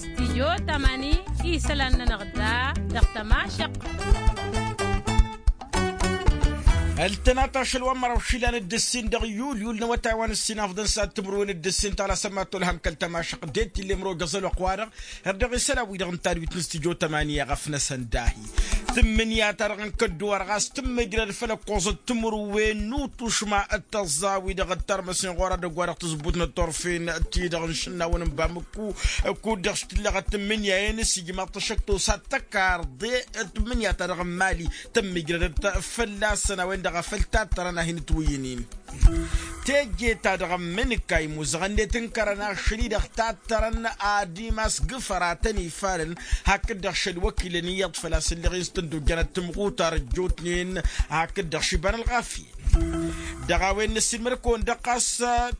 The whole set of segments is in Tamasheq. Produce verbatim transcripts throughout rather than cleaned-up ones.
Stijyo tamani isălan-nănăɣ da dăɣ-tămašăq. Ăltănat ašăl wa n-măraw išilan d-ǝssin dăɣ-yul yul n-awătay wa n-ǝssin afḍăn s-ad-timǝrwen d-ǝssin tala sămmat tolhăm kăl-tămašăq d-e t-illa imrojăẓ ălwăqq-wa-dăɣ. Ărdăɣ isălan-wi-dăɣ n-tadwit n-stijyo tamani i-aɣăfnăsăn dahi tǝmmǝnǝya-ta-dăɣ n-kădduwar ɣas tǝmmǝjrăd făll-ăkkoẓăt timǝrwen n-utušma d-tăẓẓa-wi-dăɣ ǝttărmăsnen ɣur-ad-ăgg-wa-dăɣ tǝzbut n-ăṭṭorfen-ti-dăɣ n-išǝnnawăn n-bamǝkku. Kud-dăɣ s-tǝllăɣăt tǝmmǝnǝya-en s-ijmaḍ-t ăššăk tosa d-tăkarḍe tǝmmǝnǝya-ta-dăɣ n-mali tǝmmǝjrădăt fălla-săn a-wen-dăɣ a făl tattărăn a hin-ǝtwǝyǝn-in. Teje-ta-dăɣ n-imǝnǝkka imuzăɣăn-net n-kărăn ašăl-i-dăɣ tattărăn ad-imas g-ifăratăn ifalăn. Hakd-dăɣ šăl wăkilăn iyyăḍ făl-a-s ǝlleɣ-in s-tǝndojjănăt timɣutar ăjjootnen hakd-dăɣ šiba n-ălɣafyăn. Dăɣ-a-wen năssiilmăd-kăwăn-dăɣ ɣas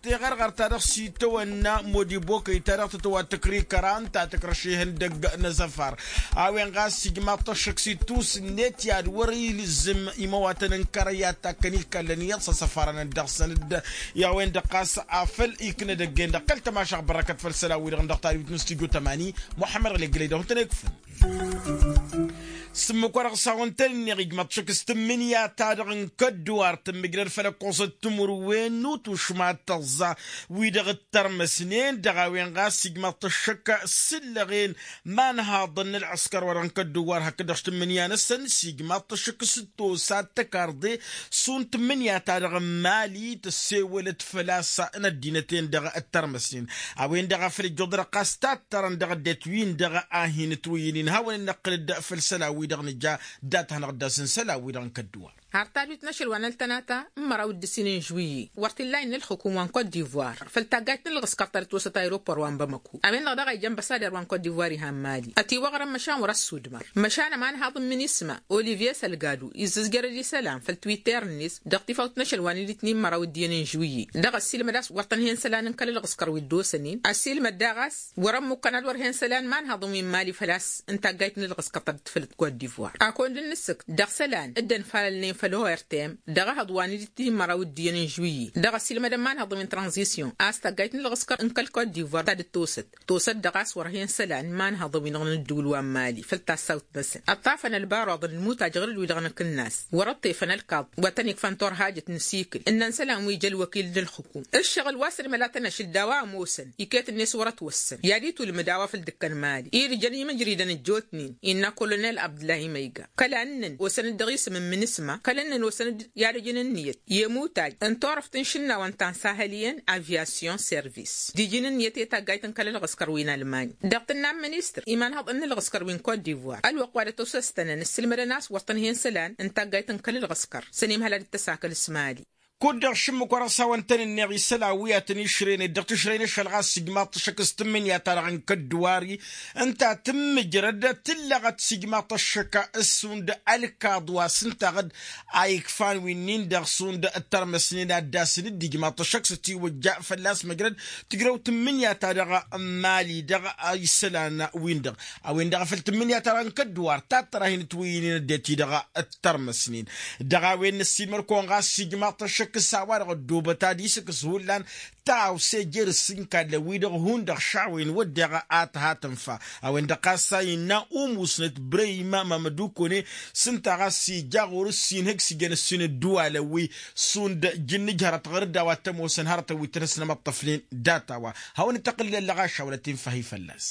teɣărɣăr-ta-dăɣ s-itawănna modibokăy-ta-dăɣ tǝtwat tǝkrikăra ǝnta tǝkrăš ihăndăgg n-asăfar. A-wen ɣas ijmaḍ-t ăššăk s-ittus-net i-ad-wăr-ilǝzzǝm imăwatăn n-kărăy i-ad-takkăn ihkallăn iyyăḍ s-asăfarăn dăɣ-săn-dd. I-a-wen-dăɣ ɣas afăl iknăd ăgg-en-dăɣ kăl-tămašăɣt bărrăkăt făll-isălan-wi-dăɣ dăɣ-tadwit n-studyo tămani muḥămmăd ɣǝlǝggǝlăy dăɣ-hutăn ekfăn. S-ǝmmǝk-wa-dăɣ s-hawăn-tăn-ǝnneɣ ijmăḍ-t šăkk s-tǝmmǝnǝya-ta-dăɣ n-kădduwar tǝmmǝjrăd făll-ăkkoẓăt timǝrwen n-utušma d-tăẓẓa wi-dăɣ ǝttărmăsnen dăɣ-a-wen ɣas ijmăḍ-t ăššăk s-ǝllăɣen imanhaḍăn n-ălɣǝskăr-wa-dăɣ n-kădduwar hakd-dăɣ s-tǝmmǝnǝya-năsăn s-ijmăḍ-t ăššăk s-tosa d-tăkarḍe šund tǝmmǝnǝya-ta-dăɣ n-imali tăssewălăt făl-a-s n-ăddinăt-en-dăɣ ǝttărmăsnen. A-wen-dăɣ a făl ǝjjuḍăd ɣas tattărăn dăɣ-ăddinăt-win-dăɣ a hin-ǝtwǝyǝn-in hawăn-dd-năqqǝl-dd făll-isălan-wi-dăɣ nǝja dat-hanăɣ-dd-asǝn isălan-wi-dăɣ n-kădduwar. Har tadwit n-ašăl wa n-ăltănata n-măraw d-ǝssin n-žuwǝyye wăr t-illa innă ălxǝkum wa n-kod divoir făll-taggayt n-ălɣǝskăr ta dăt-osăt aeropor wa n-bamăku. A-wen-dăɣ daɣ a ija ănbăsader wa n-kod divoir ihan mali ătiwăɣrăn măšan wăr-ăssudmăr măšan ămanhaḍ n-minisma olivier sălgadu izzǝzjărăd isălan făll-twitter-net dăɣ-tifawt n-ašăl wa n-idǝtnin măraw d-iyyăn n-žuwǝyye. Dăɣ-ăssiilmăd a-s wăr tăn-hen isălan n-kăl-ălɣǝskăr wi dd-osănen ăssiilmăd daɣ a-s wăr-ămmukkăn ad-wăr hen isălan imanhaḍăn wi n-mali făl-a-s n-taggayt n-ălɣǝskăr ta dd-tǝflăt kod divoir. Akund n-asǝkt dăɣ-isălan dd-ănfalălnen făll-ortem dăɣ-ehăḍ wa n-idǝtnin măraw d-iyyăn n-žuwǝyye dăɣ-ăssiilmădăn imanhaḍăn wi n-tranzisyon a-s taggayt n-ălɣǝskăr n-kăl-kod divoir ta dd-tosăt tosăt-dăɣ a-s wăr-hen isălan imanhăḍăn-wi-dăɣ n-ǝddǝwǝl wa n-mali făll-tassawt-năsăn ăṭṭafăn ălbaruḍ n-ǝlmutaj ɣǝr-dd wi-dăɣ n-akǝnnas wăr-ăṭṭefăn ălkaḍ wa tăn-ikfăn turhajăt n-asikǝl ǝnnăn isălan wi ija ălwăkil n-ǝlxǝkum ǝššăɣǝl wa s-ănmălatăn ašǝl d-a-wa ămoosăn iket-net wăr-ătwăssăn i-ad-itulmǝd a-wa făll-dd-ǝkkăn mali-i d-ǝjăn imǝjridăn ăjjootnen innă kolonel abdǝllahi măyga kăla ǝnnăn osăn-dd dăɣ-isǝm n-imǝnǝsma kăla ǝnnăn osăn-dd i-ad-ăjǝn ǝnniyăt i-imutaj n-turăft n-išǝnnawăn ta n-sahăl iyyăn avyasyon servis d-iji n-ǝnniyăt i-taggayt n-kăl-ălɣǝskăr wi n-almany dăɣ-tǝnna n-ministăr imanhăḍăn n-ălɣǝskăr wi n-kot divoir ălwăqq wa dăt-osăstănăn ǝssǝlmădăn a-s wăr tăn-hen isălan n-taggayt n-kăl-ălɣǝskăr s-ănimhăl ad-dd-tăsakăl s-mali. Kud-dăɣ šǝmmǝk wa dăɣ-s hawăn-tăn-ǝnneɣ isălan wi ad-tăn-išrăynen dăɣ-tǝšrăy n-ašăl ɣas s-ijmaḍ-t ăššăk s-tǝmmǝnǝya-ta-dăɣ n-kădduwar-i ǝnta tǝmmǝjrăd tǝllăɣăt s-ijmaḍ-t ăššăk s-šund ălkaḍ wa s-ǝntaɣ-dd a ikfan winnin-dăɣ šund ǝttărmăsnen ad-dd-asǝn dd-ijmaḍ-t ăššăk s-ătiwăjja fălla-s măjrăd tǝjrăw tǝmmǝnǝya-ta-dăɣ n-mali dăɣ-isălan-win-dăɣ a-wen-dăɣ a făl tǝmmǝnǝya-ta-dăɣ n-kădduwar tattăr a hin-ǝtwǝyyǝnen ăddinăt-i-dăɣ ǝttărmăsnen. Dăɣ-a-wen năssiilmăd-kăwăn ɣas s-ijmaḍ-t ăššăk s-a-wa-dăɣ ăddoobăt ad-isǝkkǝs hullan tawse jer-ǝssin kallăn-wi-dăɣ hundăɣ šawen wădden a tǝha tǝnfa. A-wen-dăɣ ɣas a innă umusnăt brăyma mamădukone s-ǝnta ɣas ija ɣur-ǝssin ihǝgg s-ijăn ǝssin ǝddǝwalăn-wi šund jǝnnǝj hărăt ɣur-dd a-wa t-ămoosăn hărătăn wi t-ănhăsnămăṭṭăfnen. Dat-a-wa hawăn-ităqqǝllel lăɣašaw lătinfăhi fălla-s.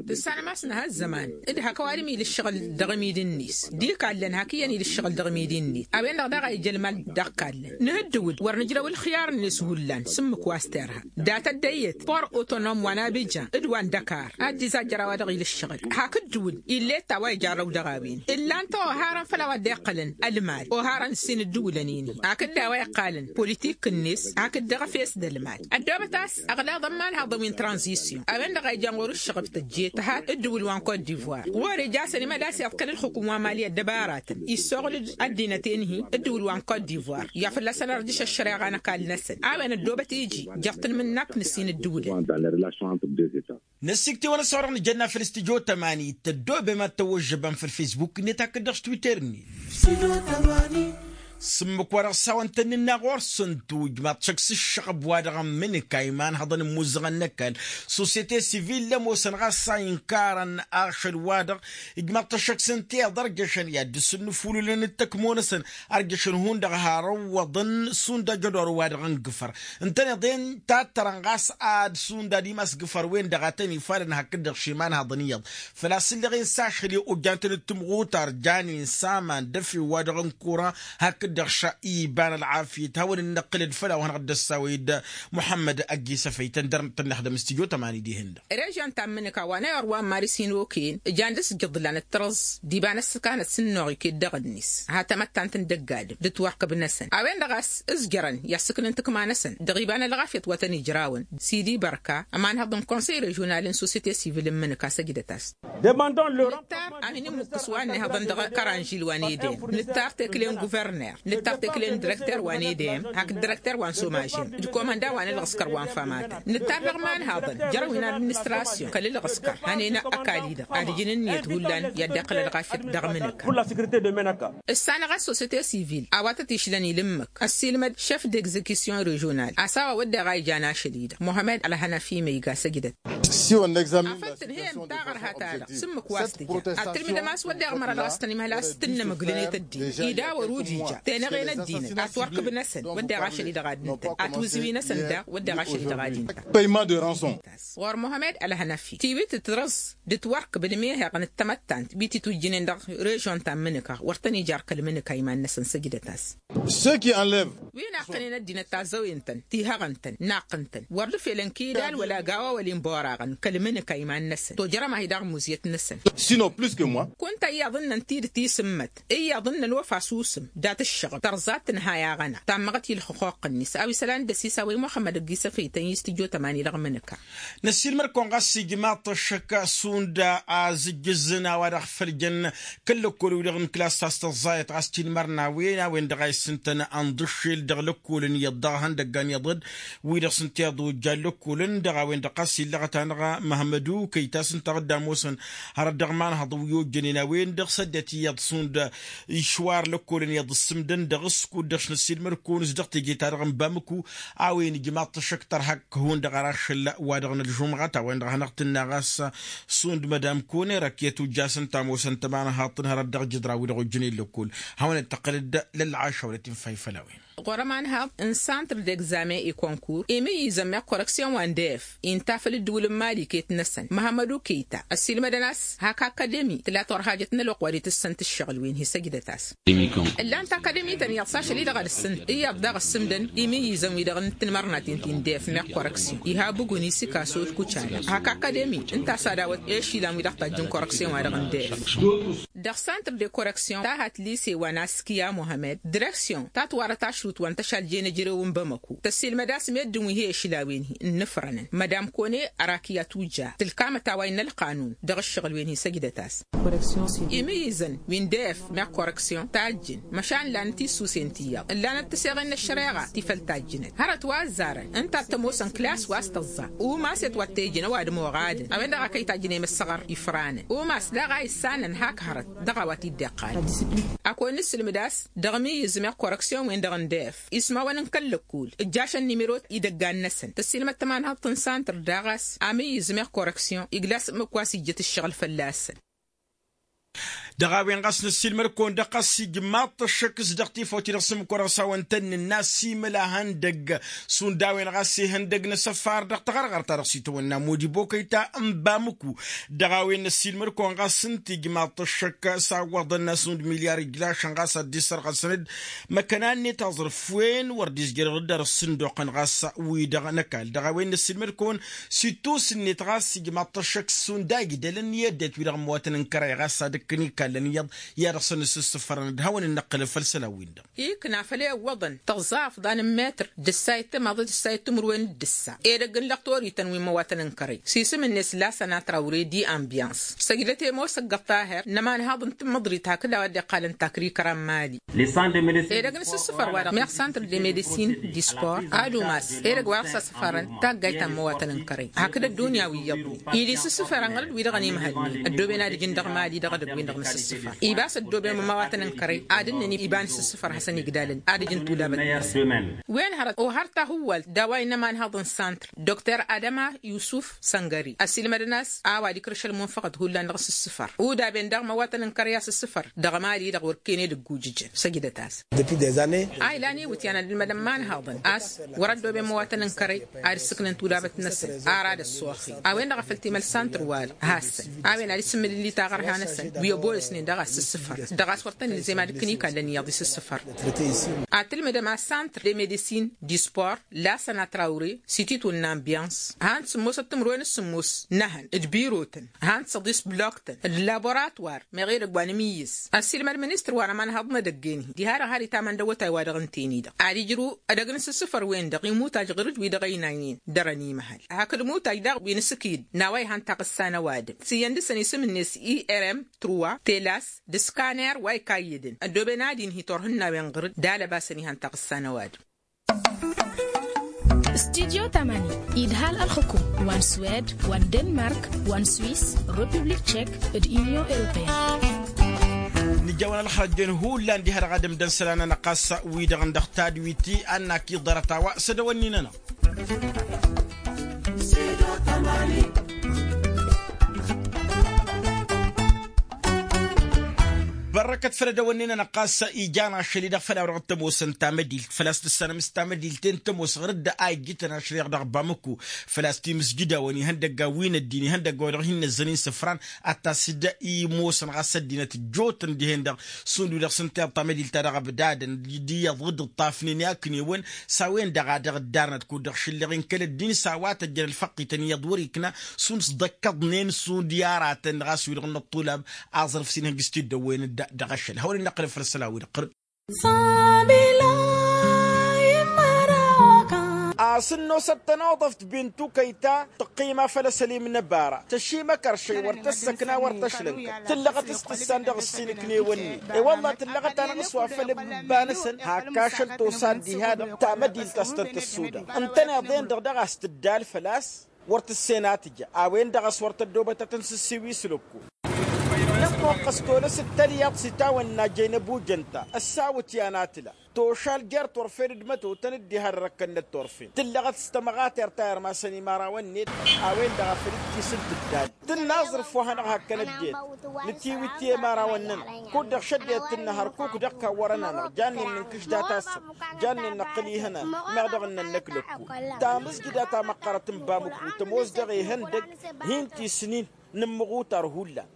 Tǝssanăm a-s nǝha ăzzăman d-hak ăwadǝm ila ǝššăɣǝl dăɣ-imidi-net d-ikallăn hak iyyăn ila ǝššăɣǝl dăɣ-imidi-net. A-wen-dăɣ daɣ a ija ălmal dăɣ-kallăn nǝha ǝddǝwǝl wăr nǝjrăw ǝlxiyar-net hullan s-ǝmmǝk wa s-terha dat-ăddăyyăt por otonom wa n-abijan d-wa n-dăkar ad-dd-izajjăr a-wa-dăɣ ila ǝššăɣǝl hak ǝddǝwǝl ill'-e t-a-wa ija ărrăw dăɣ-a-wen ǝllan-t oharăn făll-a-wa dd-iqqălăn ălmal oharăn ǝssin ǝddǝwǝlăn-in-hi hakd d-a-wa iqqalăn politik-net hakd dăɣ-efes d-ălmal. Ăddoobăt a-s ăɣlaḍăn imanhaḍăn wi n-tranzisyon a-wen-dăɣ a ijan ɣur-ǝššăɣǝb tăjje tǝha dd-ǝwǝl wa n-kot divoir ɣur-ija a-s ănimăḍas iḍkăl ǝlxǝkǝm wa n-mali ăddăbaratăn issoɣǝl-dd ăddinăt-en-hi dd-ǝwǝl wa n-kot divoir i-ad-fălla-săn ărjǝš ăššăreɣa n-ăkall-năsăn. A-wen ăddoobăt iji jeɣ-tǝlmǝnnakt n-ǝssin ǝddǝwǝlăn. Năssiktewăn ăssăwăr-dăɣ nǝjănna făll-studyo tămani tăddoobem ad-tăwwăžžăbăm făll-facebook-net hakd dăɣ-s twitter-net. S-ǝmmǝk-wa-dăɣ s-hawăn-tăn-nǝnna ɣur-săn tujmaḍ šăkk s-ǝššăɣăb-wa-dăɣ n-imǝnǝka iman hăḍăn n-imuzăɣăn n-ăkall. Sosiyete sivil ămoosăn ɣas a inkarăn ašăl-wa-dăɣ ijmaḍ-t ăššăk s-ǝnta iyyăḍ ărjăšăn i-ad-dd-sǝnnǝfulǝlăn d-tăkmo-năsăn. Ărjăšăn hundăɣ har ăwwăḍăn sunda jădor-wa-dăɣ n-gǝfăr ǝntăneḍ-en tattărăn ɣas ad-sunda d-imas gǝfăr-wen-dăɣ a tăn-ifalăn hakd-dăɣ šima n-haḍăn iyyăḍ. Făl-a-s ǝlleɣ-in s-ašăl i-ojjantăn d-timɣutar janen s-aman d-efew-wa-dăɣ n-kura hakd-dăɣ ša iba n-ălɣafyăt hawăn-dd-năqqǝlăd făll-a-wa hanăɣ-dd-ăssawăy d-muḥămmăd ăgg-isăfăy tăn-dăr-nǝttănnex d-ămǝstijot ămani dihen-dăɣ. Režăn ta n-imǝnǝka wa n-ayăr wa n-maris inokăyăn ǝjan d-asǝjjăḍ ǝllan d-tărǝẓ d-iba n-ăssăkanăt s-ǝnnuɣ iket dăɣ-net ha tamăttant n-dăgg-adǝm d-ǝtwărkăb-năsăn a-wen-dăɣ a-s ǝzjărăn i-assǝknǝn tǝkma-năsăn dăɣ-iba n-ălɣafyăt wa tăn-ijrawăn s-dd-ibărka ămanhăḍ n-konsăy režional n-sosiyete sivil n-imǝnǝka săjdăt-as. Nǝttar a hin-immǝkkǝs wa n-ihăḍăn dăɣ-kăranžil wa n-edem. Nǝttar tekle n-guvărner. Nǝttar tekle n-direkter wa n-edem hakd direkter wa n-somažem d-komănda wa n-ǝlɣǝskăr wa n-famatăn. Nǝttar dăɣ-imanhaḍăn jer-a-wen administrasyon kăl-ǝlɣǝskăr hănen ăkall-i-dăɣ ad-ǝjǝn ǝnniyăt hullan i-ad-dd-iqqǝl ălɣafyăt dăɣ-imǝnǝka. Ǝssanăɣ a-s sosiyete sivil a-wa tăt-išlăn ilǝmmǝk ăssiilmăd šef d-egzekisyon režional a-s a-wa wădden a ijan ašăl-i-dăɣ muhămmăd ălhănăfi ma iga săjdăt. Afăl tǝnhăyăm taɣărha-ta-dăɣ s-ǝmmǝk wa s-tǝja ad-tǝlmǝdăm a-s wădden ɣǝmăra dăɣ-s tăn-imhăl a-s tǝnnămǝglǝnet ăddinăt i-dawăr ujija tenăɣen ăddinăt atwărkǝb-năsăn wădden ašăl-i-dăɣ ad-ǝntăn atwǝzǝwi-năsăn daɣ wădden ašăl-i-dăɣ ad-ǝntăn. Ɣur-muhămmăd ălhănăfi tiwit tǝtrǝẓ d-ǝtwărkǝb d-imehăɣ n-ăttămăttant wi titwǝjjǝnen dăɣ-režon ta n-imǝnǝka wăr tăn-ija ar kăl-imǝnǝka iman-năsăn săjdăt-as. Wi naqqănen ăddinăt tazzăwen-tăn tihăɣăn-tăn naqqăn-tăn wăr dd-felăn kidal wăla gawa wăla inboraɣăn kăl-imǝnǝka iman-năsăn tojărăm-ahi daɣ muzyăt-năsăn. Sinon plus que moi. Kunta iyyăḍ ǝnnăn tidǝt isǝmmăt iyyăḍ ǝnnăn ofa susǝm dat-ǝššăɣăb tărẓa tǝnha i-aɣăna tammăɣăt i-ǝlxǝxuqq-net a-wa isălan d-ăsisawăy muxămmăd ăgg-isăfăy tăn-istǝjjo tămani dăɣ-imǝnǝka. Năssiilmăr-kăwăn ɣas ijmaḍ-t ăššăk šund azǝjjǝzăn a-wa-dăɣ făl jăn kăl-lăkkol-wi-dăɣ n-klas ta s-tăẓẓayăt ɣas tinmărna a-wen a-wen-dăɣ a issǝntăn ănḍǝššel dăɣ-lăkkolăn iyyăḍ daɣ ihăndăggan iyyăḍ-dd wi-dăɣ s-ǝnta iyyăḍ ojja n-lăkkolăn dăɣ-a-wen-dăɣ ɣas illăɣăt-anăɣ măhmădu kăy-ta s-ǝnta a dd-ămoosăn hărăt dăɣ-imanhăḍ wi ojjănen a-wen-dăɣ s-ăddinăt iyyăḍ šund išwar lăkkolăn iyyăḍ ǝssǝmdăn dăɣ-s kud-dăɣ s-năssiilmăr-kăwăn s-dăɣ teje-ta-dăɣ n-bamǝku. A-wen ijmaḍ-t ăššăk tărhak hundăɣ ar ašăl-wa-dăɣ n-ălžumɣa ta-wen-dăɣ a hanăɣ-tǝnna ɣas šund madam kone răkyăt ujjasăn tamosăn tămanhaḍt n-hărăt dăɣ-jǝdra-wi-dăɣ ojjănen lăkkol. Hawăn-dd-tăqqǝlăd lălɣašăwălăt infa ifăll-a-wen. Ɣur-ămanhaḍ n-santr d-egzamen i-konkurs imǝyyǝzăn meɣ koreksyon wa n-def inta făll-ǝddǝwǝl n-imali iket-năsăn măhămmădu keyta ăssiilmădăn a-s hak akademi tǝla turhajăt n-ălwăqq wa d-itǝssăn tǝššăɣǝl-wen hi-săjdăt-as. Ǝllan takademi-tăn iyyăḍ s-ašăl-i-dăɣ ad-ǝssǝn iyyăḍ daɣ ǝssǝmdăn imǝyyǝzăn-wi-dăɣ n-tinmărnaten ti n-def meɣ koreksyon iha ăbugǝn isǝkaso d-kucala hak akademi ǝnta a-s ad-awăt i-ašila n-wi-dăɣ tajjǝn koreksyon-wa-dăɣ n-def. Dăɣ-santr de koreksyon ta hat lise wa n-askiya muhămmăd direksyon ta ătwarăt ašrut wa n-tăšal jen ejărew n-bamăko tăssiilmăd a-s meddǝn wi he-ašǝlawen-hi ǝnnǝfrănăn madam kone ărakiya tuja tǝlkamăt a-wa innă ălqanun dăɣ-ǝššăɣǝl-wen-hi săjdăt-as. Imǝyyǝzăn wi n-def meɣ koreksyon tajjǝn măšan lanăt issusen ti iyyăḍ ǝllanăt tǝseɣen n-ăššăreɣa ti făl tajjǝnăt hărăt wa ăzzarăn ǝnta a t-ămoosăn klas wa s-tăẓẓa umas i-ătwăttejăn ăwadǝm oɣadăn a-wen-dăɣ a kăy-tajjǝn i-imǝssăɣăr ifranăn umas daɣ a issanăn hak hărăt dăɣ-a-wa t-dd-iqqalăn. Ad-kăwăn-nǝssǝlmǝd a-s dăɣ-imǝyyǝz meɣ koreksyon-wen-dăɣ n-def ismawăn n-kăl-lăkkul ǝjjašăn nimero idăggan-năsăn tăssiilmăd tămanhăḍt n-santr daɣ a-s amǝyyǝz meɣ koreksyon igla s-ǝmmǝk wa s-ijjăt ǝššăɣǝl fălla-săn. Dăɣ-a-wen ɣas năssiilmăd-kăwăn-dăɣ ɣas ijmaḍ-t ăššăk s-dăɣ tifawt-i-dăɣ s-ǝmmǝk wa dăɣ-s hawăn-tăn-nǝnna s-imǝl ahăndăgg šund a-wen ɣas ihăndăgg n-asăfar dăɣ-taɣărɣărt-ta-dăɣ s-itawănna modibo kăy-ta n-bamǝku. Dăɣ-a-wen năssiilmăd-kăwăn ɣas ǝnta ijmaḍ-t ăššăk s-awwăḍăn n-asund milyar ijlašăn ɣas ad-dd-isărɣăsăn-dd măkkăna-net aẓrǝf wen wăr dd-izjăr dăɣ-dd-arǝs sǝnduqăn ɣas wi-dăɣ n-ăkall dăɣ-a-wen năssiilmăd-kăwăn s-ittus-net ɣas ijmaḍ-t ăššăk šund a igdălăn i-ăddinăt wi-dăɣ ămmăwătăn n-kăray ɣas ad-ǝkkǝn ikallăn iyyăḍ i-ad-ăɣsăn ǝssǝssǝfărăn d-hawăn-dd-năqqǝlăn făll-isălan-win-dăɣ. Ikna făll-e-ǝwwăḍăn tăẓẓa afḍan n-metr d-ǝssayăt timaḍe d-ǝssayăt timǝrwen d-ǝssa edăgg n-lăqtorităn wi n-imăwatăn n-kărăy s-isǝm-net lasăn atraure di ambyans săjdăt i-ămoos ăgg-ăṭṭaher n-ămanhaḍ n-tǝmmǝḍrit hakd a-wa dd-iqqalăn takrikăra n-mali. Edăgg n-asǝssǝfăr-wa-dăɣ meɣ santr de medisin d-ispor ad-umas edăgg wa dăɣ-s asǝfărăn taggayt ta n-imăwatăn n-kărăy hakd ăddunya wi iyyăḍnen ila isǝssǝfăr ănɣăl-dd wi-dăɣ ănimhălnen ăddooben ad-ǝjǝn dăɣ-mali dăɣ-edăgg-win-dăɣ. Ibas ăddooben mămawatăn n-kărăy ad-ǝnnăn iba n-asǝssǝfăr hasăn-igdalăn ad-ǝjǝn tudabăt-năsăn. Wen hărăt ohăr tahǝwwalt d-a-wa innă imanhăḍ n-santr dokter adama yusuf săngări ăssiilmădăn a-s a-wa dd-ikrǝš ălmunfăɣăt hullan dăɣ-asǝssǝfăr udaben daɣ măwatăn n-kărăy asǝssǝfăr dăɣ-mali-dăɣ wăr ken edăgg ujǝjăn. Săjdăt-asăn. A ilan iwǝtyan ad-ǝlmădăn imanhăḍăn a-s wăr-ăddooben măwatăn n-kărăy ad-ǝssǝknăn tudabăt-năsăn. Ara d-ăssoxi a-wen-dăɣ a făl timăl santr wal hassăn a-wen ad-isǝmmǝlǝlli taɣărha-năsăn wi ăbolăsnen dăɣ-asǝssǝfăr dăɣ-a-s wăr tăn-ilzem ad-ǝkkǝn ikallăn iyyăḍ isǝssǝfăr. Ad-tǝlmǝdăm a-s santr de medisin dispor lasăn atraure sititun n-ambiyans han-t sǝmmosăt timǝrwen s-sǝmmos n-ehăn d-birotăn han-t săḍis bloktăn d-laboratwar meɣ edăgg wa n-amiyyǝs. Ăssiilmăd ministăr wa n-ămanhăḍ n-edăgg-en-hi diha-dăɣ har itamăn d-awătay wa dăɣ-ǝnta eni-dăɣ ad-ijrǝw edăgg n-asǝssǝfăr-wen-dăɣ imutaj ɣur-dd wi dăɣ-ăynaynen dăr-ănimăhăl hakd imutaj daɣ wi n-asǝkǝyǝd n-a-wa ihăn taɣǝssa n-ăwadǝm s-iyyăn dăɣ-săn isǝm-net i r m trua telas d-skaner wa ikayyădăn ăddooben ad-inhi turhǝnnawen ɣur-dd d-alăbasăn ihăn taɣǝssa n-ăwadǝm. Studyo tamani idhal ălxukum wa n-swed wa n-denmark wa n-swis, republik tchek d-unyon europeyăn. Nǝjawăn ălxărăjjen hullan diha-dăɣ ad-ǝmdăn isălan-anăɣ ɣas wi-dăɣ n-dăɣ tadwit-i ad-nak iḍarăt a-wa s-ădăwănnin-anăɣ. Bărrăkăt făll-ădăwănnin-anăɣ ɣas ijan ašăl-i-dăɣ făll-a-wa dăɣ-t-ămoosăn tamădilt făl-a-s tǝssanăm s-tamădilt-en tămoos ɣur-dd a ijjǝtăn ašăl-i-dăɣ dăɣ-bamăku. Făl-a-s timǝsjǝdawăn ihăndăgga wi n-ăddin ihăndăgga wa dăɣ-hin-năzzăn insǝfran ad-tasǝd-i ămoosăn ɣas ăddinăt ăjjootăn dihen-dăɣ. Šund wi-dăɣ s-ǝnta iyyăḍ tamădilt-ta-dăɣ ăbdadăn d-iyyăḍ dd-ǝṭṭafnen i-aknewăn s-a-wen-dăɣ a dăɣ-ǝddarnăt kud-dăɣ šǝllăɣ-in kăl-ăddin s-a-wa tăjjăn ălfăqqităn iyyăḍ wăr-ikna šund s-dd-ăkkăḍnen šund i-aratăn dăɣ-a-s wi-dăɣ n-ăṭṭulab aẓrǝf s-inhăjj s-tiddăwwen. Dăɣ-ašăl hawăn-in-năqqălăn făll-isălan-wi-dăɣ ɣur-dd. A-s ǝnnosăt tănoḍăft bintu kăyta tăqqima făll-asălim n-ăbara tăšimăkăr šăy wăr tăssăkna wăr tăšlănkăt tǝllăɣăt s-tǝssan dăɣ-ǝssin ǝknewăn-net. I-wălla tǝllăɣăt-anăɣ s-wa făll-ǝbba-năsăn hak ašăl tosa diha-dăɣ tamădilt a-s tăn-tăssuda ǝntăneḍ-en-dăɣ daɣ a-s tǝddal făl-a-s wăr tǝssen a tǝja a-wen-dăɣ a-s wăr tăddobăt ad-tăn-sǝssiwi s-lăkku. Nămmoqqăs tolăs d-tălyaḍt s-itawănna jăynăb ujăn-ta ăssawăt i-anatǝla tošal jer-turfen d-mătotăn d-diha d-răkkănnăt turfen tǝllăɣăt s-tămɣatert a irmasăn imărawăn-net. A-wen-dăɣ a făl dd-tisǝl tǝddal tǝnna aẓrǝf wa hanăɣ-hakkăn ăddinăt nǝtiwǝt i-imărawăn-nănăɣ kud-dăɣ šăddinăt tǝnna hărkuk dăɣ-kawwărăn-anăɣ jannen nǝnkǝš data-săɣ jannen năqqǝl ihănan meɣ dăɣ-nănnăk lăkku. Tamǝzjǝda ta măqqărăt n-bamǝku tămoos dăɣ-ihăndăg hin-tisnin nǝmmăɣutar hullan.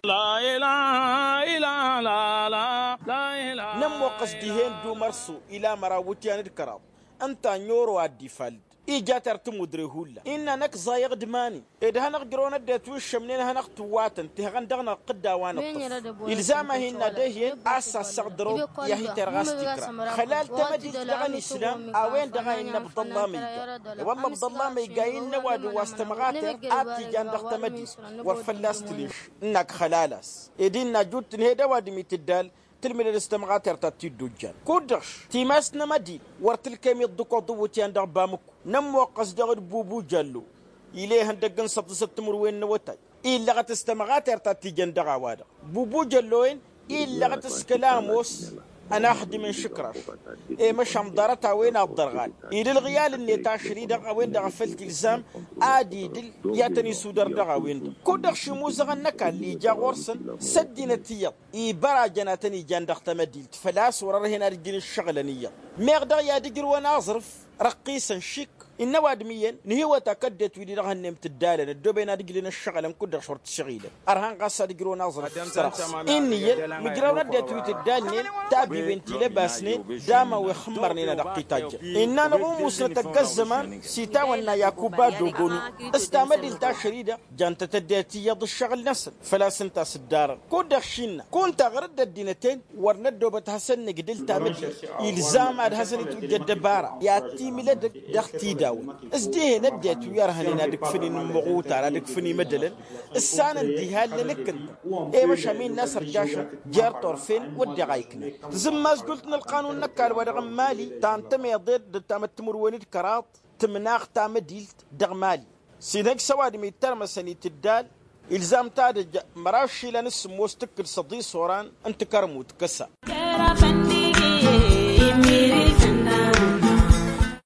Nămmoqqăs dihen d-umărsu ila măraw wǝtyan d-kăraḍ ǝnta n-oro ad-dd-ifall-dd ija tertǝmudre hullan innă năkk ẓayăɣ d-imani ed hanăɣ-jărăwăn ăddinăt wi ǝššămnen ad-hanăɣ-tǝwwatăn tihăɣăn dăɣ-năɣ tǝdda a-wa nǝṭṭǝf. Ilzam-ahi n-ad-ehyen a-s assăɣ dăr-awăt i-ad-hi-terɣas tikra xălal tamădilt dăɣ-ănislam. A-wen-dăɣ a innă ăbḍălla ma iga i-wălla ăbḍălla ma iga innă ăwadǝm wa s-tămɣatert a t-ijan dăɣ-tamădilt wăr fălla-s tǝleš ǝnnak xălal-as ed innă ajut tǝnhed ăwadǝm itǝddal tǝlmǝdăd s-tămɣatert ad-t-dd-ojjan kud-dăɣ timas n-amădil wăr tǝlkem iḍḍǝkoḍ iwǝtyan dăɣ-bamǝkku. Nămmoqqăs dăɣ-dd bubu jallo ila ihăndăgg n-săḍǝsăt timǝrwen n-awătay illăɣăt s-tămɣatert ad-t-ijăn dăɣ-a-wa-dăɣ bubu jallo-en illăɣăt s-kăla ămoos ănaxdǝm n-išǝkraš. I-măšan ḍarăt a-wen ad-ḍărɣal ila ǝlɣǝyal-net ašăl-i-dăɣ a-wen-dăɣ a făl t-ilzam ad-idǝl i-ad-tăn-isudăr dăɣ-a-wen-dăɣ kud-dăɣ šimuzăɣăn n-ăkall ija ɣur-săn s-ăddinăt iyyăḍ ibărajăn ad-tăn-ijan dăɣ-tamădilt făl-a-s wăr-ărhen ad-ǝjǝn ǝššăɣǝlăn iyyăḍ. Meɣ dăɣ-i ad-ǝjrǝwăn aẓrǝf răqqisăn šik innă ăwadǝm iyyăn nǝhiwăt akăddet wi-di-dăɣ hănnem tǝddalăn ăddooben ad-ǝjlǝn ǝššăɣǝlăn kud-dăɣ s-wăr t-ǝššăɣilăn. Ărhan ɣas ad-ǝjrǝwăn aẓrǝf s-tărăs inn'-iyyăn mǝjrawăn ăddinăt wi tǝddalnen tabiwen ti lăbasnen d-ama wi ăxxǝmmărnen ad-ăqqităjjăn. Innă-năɣ umusnăt ăgg-ăzzăman s-itawănna yakuba dogonu s-tamădilt ašăl-i-dăɣ jantăt ăddinăt iyyăḍ ǝššăɣǝl-năsăn. Făl-a-s ǝnta a-s ǝddarăn kud-dăɣ šinna kunta ɣur-dd ăddinăt-en wăr năddobăt ad-hasăn-nǝgdǝl tamădilt. Ilzam ad-hasăn-itwǝjjăd ăbara i-ad-timǝl edăgg dăɣ-tidawăn s-dihen ăddinăt wi ărhănen ad-ǝkfǝn inǝmmăɣutar ad-ǝkfǝn imădălăn ǝssanăn diha allăn ǝkkǝntăn. I-măšan mi n-asărjašăn jer-turfen wădden a iknan tǝzǝmmas jult n-ălqanun n-ăkall wa dăɣ-n mali ta n-tămeḍe d-ăttamăt timǝrwen d-kăraḍ tǝmnaɣ tamădilt dăɣ-mali. S-inhăj s-ăwadǝm ittărmăsăn itǝddal Ilzam tadǝjja măraš išilan s-sǝmmos tǝkkǝd săḍis oran n-tikărmut kăsa.